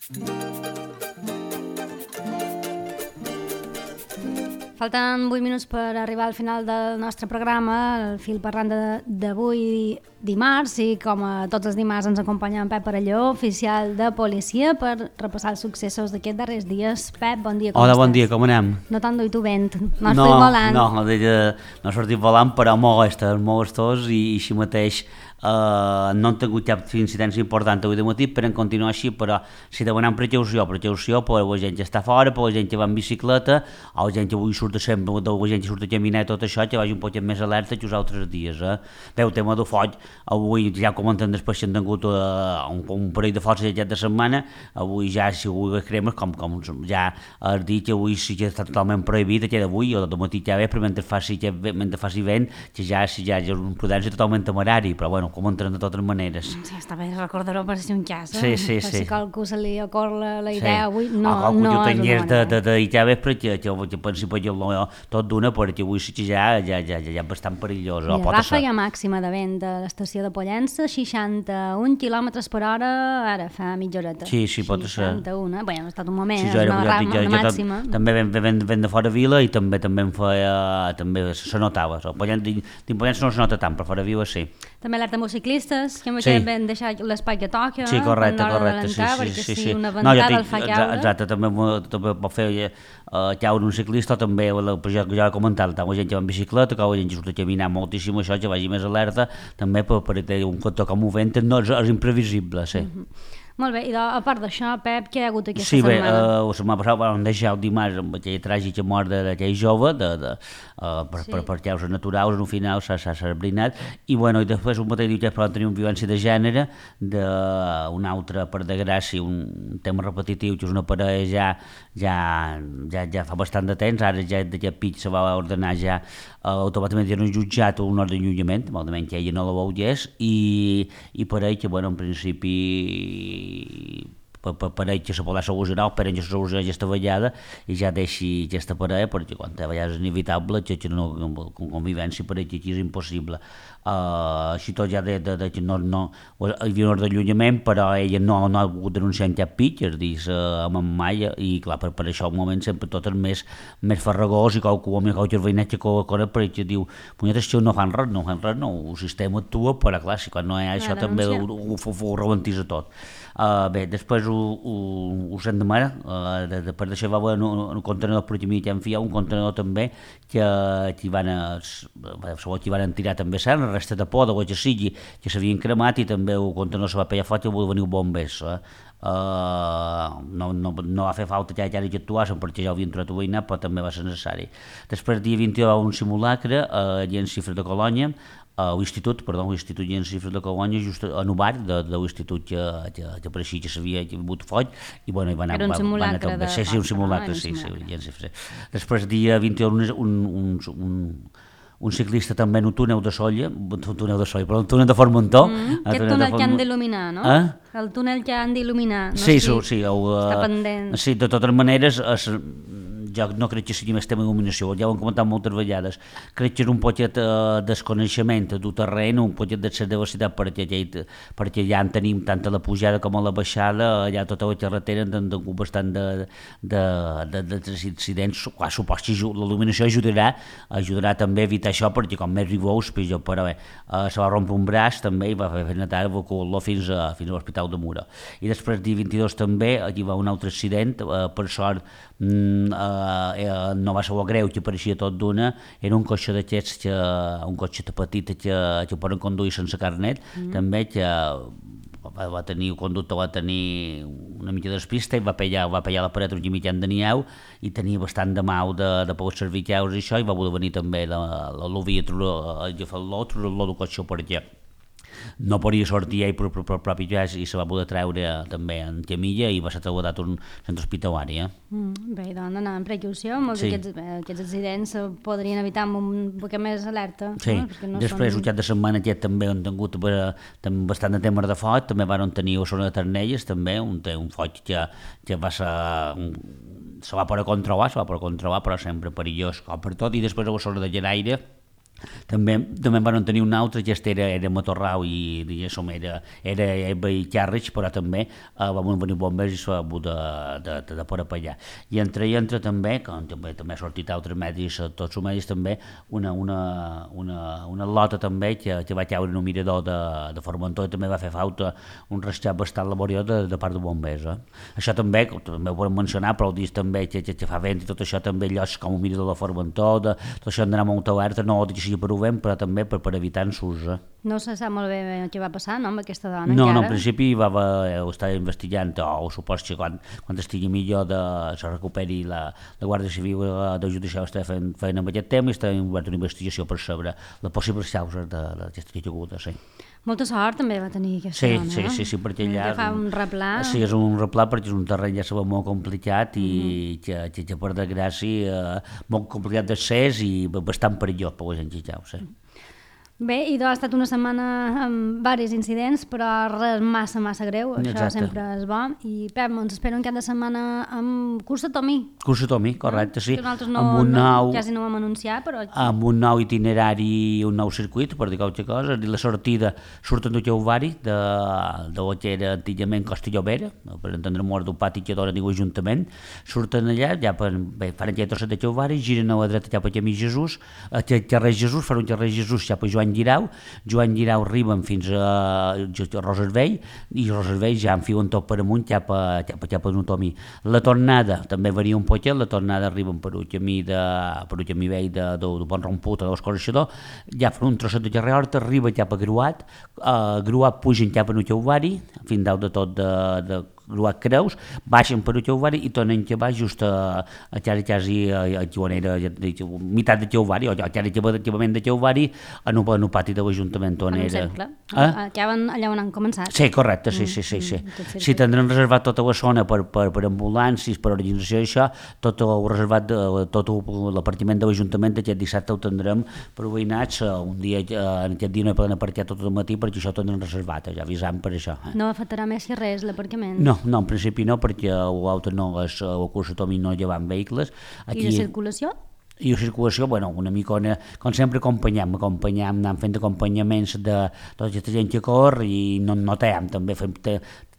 Falten 8 minuts per arribar al final del nostre programa, el fil parlant d'avui dimarts, i com a tots els dimarts ens acompanya en Pep Parelló, oficial de policia, per repassar els successos d'aquests darrers dies. Pep, bon dia, com estàs? Hola, bon dia, com anem? No t'enduit vent, no has fet volant. No he sortit volant, però molt gustós i així mateix no han tingut cap incidència important avui de matí, però en continuar així, però si demanem precaució per la gent que està fora, per la gent que va en bicicleta, o la gent que avui surt sempre, la gent que surt a caminar i tot això, que vagi un poc més alerta que els altres dies. Bé, el tema del foc, avui ja comentem després que han tingut un parell de focs aquest de setmana, avui ja si avui les cremes, com ja has dit, que avui sí que està totalment prohibit, que d'avui o del matí ja ve, però mentre faci vent, que ja és una prudència totalment temerari, però bueno, com entren de totes maneres. Sí, està bé recordar-ho per si un cas, Sí. Per si qualcú se li ocorre la idea avui, no és una manera. de I ja ves perquè pensi per tot d'una, perquè avui sí que ja és bastant perillós. La ràfega màxima de vent de l'estació de Pollença, 61 km per hora, ara fa mitja horeta. Sí, pot ser. 61, bé, ha estat un moment, sí, una màxima. També vent de fora vila i també se notava. Dins Pollença no se nota tant, però fora vila sí. També alerta amb els ciclistes, que vam deixar l'espai que toca. Sí, correcte, sí. Perquè si una ventada el fa caure... Exacte, també pot fer caure un ciclista, també, ja he comentat, tant la gent que va en bicicleta, que la gent que surt a caminar moltíssim, això, que vagi més alerta, també per tenir un cotó com ho vent, no és imprevisible, sí. Molt bé, i a part d'això, Pep, què hi ha hagut aquesta setmana? Sí, bé, la setmana passada vam deixar el dimarts amb aquella tràgica mort d'aquell jove, per causes naturals, al final s'ha sabrinat, i bueno, i després un mateix dia vam tenir una violència de gènere, d'un altre, per desgràcia, un tema repetitiu, que és una parella ja fa bastant de temps, ara ja d'aquest pit se va ordenar ja automàticament ja no jutjat un ordre d'allunyament, malament que ella no la volgués, i per ell que, bueno, en principi per ell que se podrà solucionar, per ell que se soluciona aquesta vegada i ja deixi aquesta parella, perquè quan a vegades és inevitable que no convivència per ell que aquí és impossible. Així tot ja que no hi havia un ordre d'allunyament, però ella no ha volgut denunciar en cap pit, és a dir, amb en mai, i clar, per això al moment sempre tot és més farragós, i qualque veïnat que corre per ell que diu, punyetes, això no fan res, el sistema actua, però clar, si quan no hi ha això també ho rebentisa tot. Bé, després us hem demanat, per deixar un contenedor per aquí que hem fiat, un contenedor també que van tirar també cert, restes de por, de que sigui, que s'havien cremat, i també el contenedor se va pegar fort i va venir bombers. No va fer falta que actuassen perquè ja ho havien trobat veïnat, però també va ser necessari. Després, dia 21, hi va un simulacre a Cifres de Colònia, l'Institut i en Cifres de Colònia, just en un bar de l'Institut que pareixia que s'havia hagut foc, i bueno, hi va anar... Era un simulacre de... Sí, un simulacre, sí. Després, dia 21, un ciclista també en un túnel de Solla, però un túnel de Formentó. Aquest túnel que han d'il·luminar, no? El túnel que han d'il·luminar. Sí. Està pendent. Sí, de totes maneres, jo no crec que sigui més tema d'il·luminació, ja ho hem comentat moltes vegades, crec que és un poquet desconeixement d'un terreny, un poquet de diversitat, perquè ja en tenim tant a la pujada com a la baixada, allà tota la carretera han tingut bastant d'incidents. Suposo que l'il·luminació ajudarà també a evitar això, perquè com més rigous, però bé, se va rompre un braç també i va fer netar evacuar-lo fins a l'Hospital de Mura. I després, dia 22 també, aquí va un altre accident, per sort no va ser greu, que pareixia tot d'una, era un cotxe d'aquests, un cotxe petit que poden conduir sense carnet, també, que el conductor va tenir una mica de despista i va pegar la paret un mitjan de nieu, i tenia bastant de mal de poder servir caus i això, i va voler venir també l'Ovia a agafar-lo del cotxe per allà. No podia sortir ell per propi pes i se va poder treure també en camilla i va ser traslladat a un centre hospitalari. Bé, doncs anar amb precaució, molts d'aquests accidents podrien evitar amb un poc més alerta. Sí, després, un cap de setmana aquest també han tingut bastant de temes de foc, també van tenir a Zona de Ternelles, també, un foc que va ser... se va poder controlar, però sempre perillós com per tot, i després a la Zona de Lleraire, També van tenir un altre, que era Matorrau i diguéssim, era Eba i Carrich, però també van venir bombers i s'ha hagut de por per allà. I entre també, com també ha sortit altres medis, tots els medis també, una lota també que va caure en un mirador de Formentor i també va fer falta un rescat bastant laboriós de part de bombers. Això també ho podem mencionar, però dius també que fa vent i tot això també llocs com un mirador de Formentor, tot això d'anar molt alerta, no ho dic així per ho vent, però també per evitar ensurs. No se sap molt bé què va passar, no, amb aquesta dona No, encara? en principi ho estava investigant, o supos que quan estigui millor se recuperi la Guàrdia Civil de Judicial està fent amb aquest tema i està obert una investigació per saber les possibles causes d'aquesta caiguda, sí. Molta sort també va tenir aquesta dona, no? Sí, perquè allà... Que fa un replà. Sí, és un replà perquè és un terreny ja sabeu molt complicat i que per desgràcia molt complicat d'accés i bastant perillós per la gent que hi sí. Bé, i ha estat una setmana amb diversos incidents, però res massa greu, això Exacte. sempre és bo. I Pep, ens espera un cap de setmana amb Cursa Tomí. Cursa Tomí, correcte, sí. Que nosaltres quasi no ho vam anunciar, però... Amb un nou itinerari i un nou circuit, per dir qualque cosa, i la sortida surten de Jauvari, de que era antigament Costa Llobera, per entendre mort d'un pati que dona diu Ajuntament, surten allà, ja fan aquella trosset de Jauvari, giren a la dreta cap a Camí Jesús, a carrer Jesús, fan un carrer Jesús cap a Joan Guirau arriben fins a Roservell i Roservell ja enfiuen tot per amunt cap a Notomí. La tornada també varia un poquet, la tornada arriben per un camí vell de Pont Romput a l'Escorxador, ja fan un trosset de carrer Horta, arriba cap a Gruat, pugen cap a Nuchauvari, fins dalt de tot de Gruat Creus, baixen per Jauvari i tornen que va just a quasi a Joanera, meitat de Jauvari, o quasi acabament de Jauvari, en un pati de l'Ajuntament on era. En un cercle. Acaben allà on han començat. Sí, correcte, sí. Sí, tindran reservat tota la zona per ambulàncies, per organització i això, tot ho reservat, tot l'apartiment de l'Ajuntament aquest dissabte ho tindrem per veïnats, un dia, en aquest dia no hi poden aparcar tot el matí perquè això ho tindran reservat, ja avisant per això. No afectarà més si res l'aparcament? No, en principi no, perquè l'auto no és, el Cursa Tomí no llevan vehicles. Aquí, i la circulació? I la circulació, una mica, com sempre acompanyem, anant fent acompanyaments de tota aquesta gent que corre i no tallem, també fem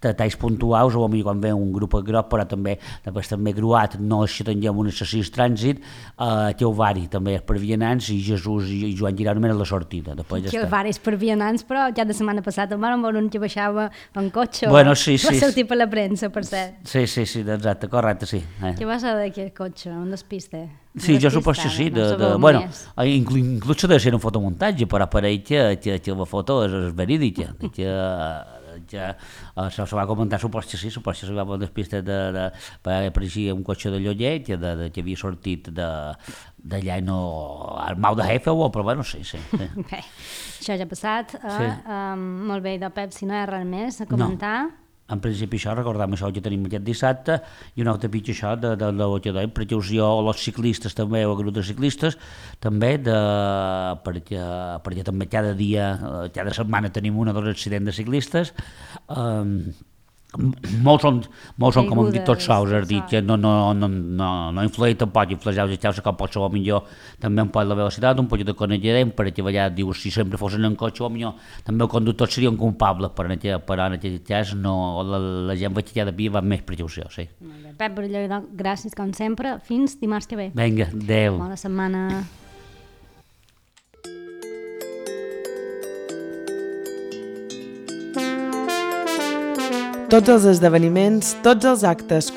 talls puntuals, o potser quan ve un grup gros, però també Gruat, no és que tinguem un excessiu trànsit, Jauvari també és per vianants i Jesús i Joan Guirau només la sortida. Jauvari és per vianants, però ja de setmana passada em van veure un que baixava en cotxe, sí. Va sortir per la premsa, per cert. Sí, exacte, correcte, sí. Què va ser d'aquest cotxe, un despiste? Sí, jo suposo que sí, inclús s'ha de ser un fotomuntatge, però pareix que la foto és verídica, se va comentar, suposo que se va veure despiste apareixia un cotxe de Llollet que havia sortit d'allà al Mau de Jefe, però sí. Bé, això ja ha passat, molt bé, de Pep, si no hi ha res més a comentar. En principi això, recordem això que tenim aquest dissabte i un altre pitjor això de precaució als ciclistes també, o a grup de ciclistes també, perquè també cada setmana tenim un o dos accidents de ciclistes, molts són com hem dit tots sols, és a dir, que no influeix tampoc, influeix els xaus que pot ser millor també un poc la velocitat, un poc de coneixement, perquè allà dius, si sempre fossin en cotxe, millor també el conductor seria un culpable, però en aquest cas la gent veig que cada dia va amb més precaució, sí. Pep Baralló, gràcies com sempre, fins dimarts que ve. Vinga, adeu. Bona setmana. Tots els esdeveniments, tots els actes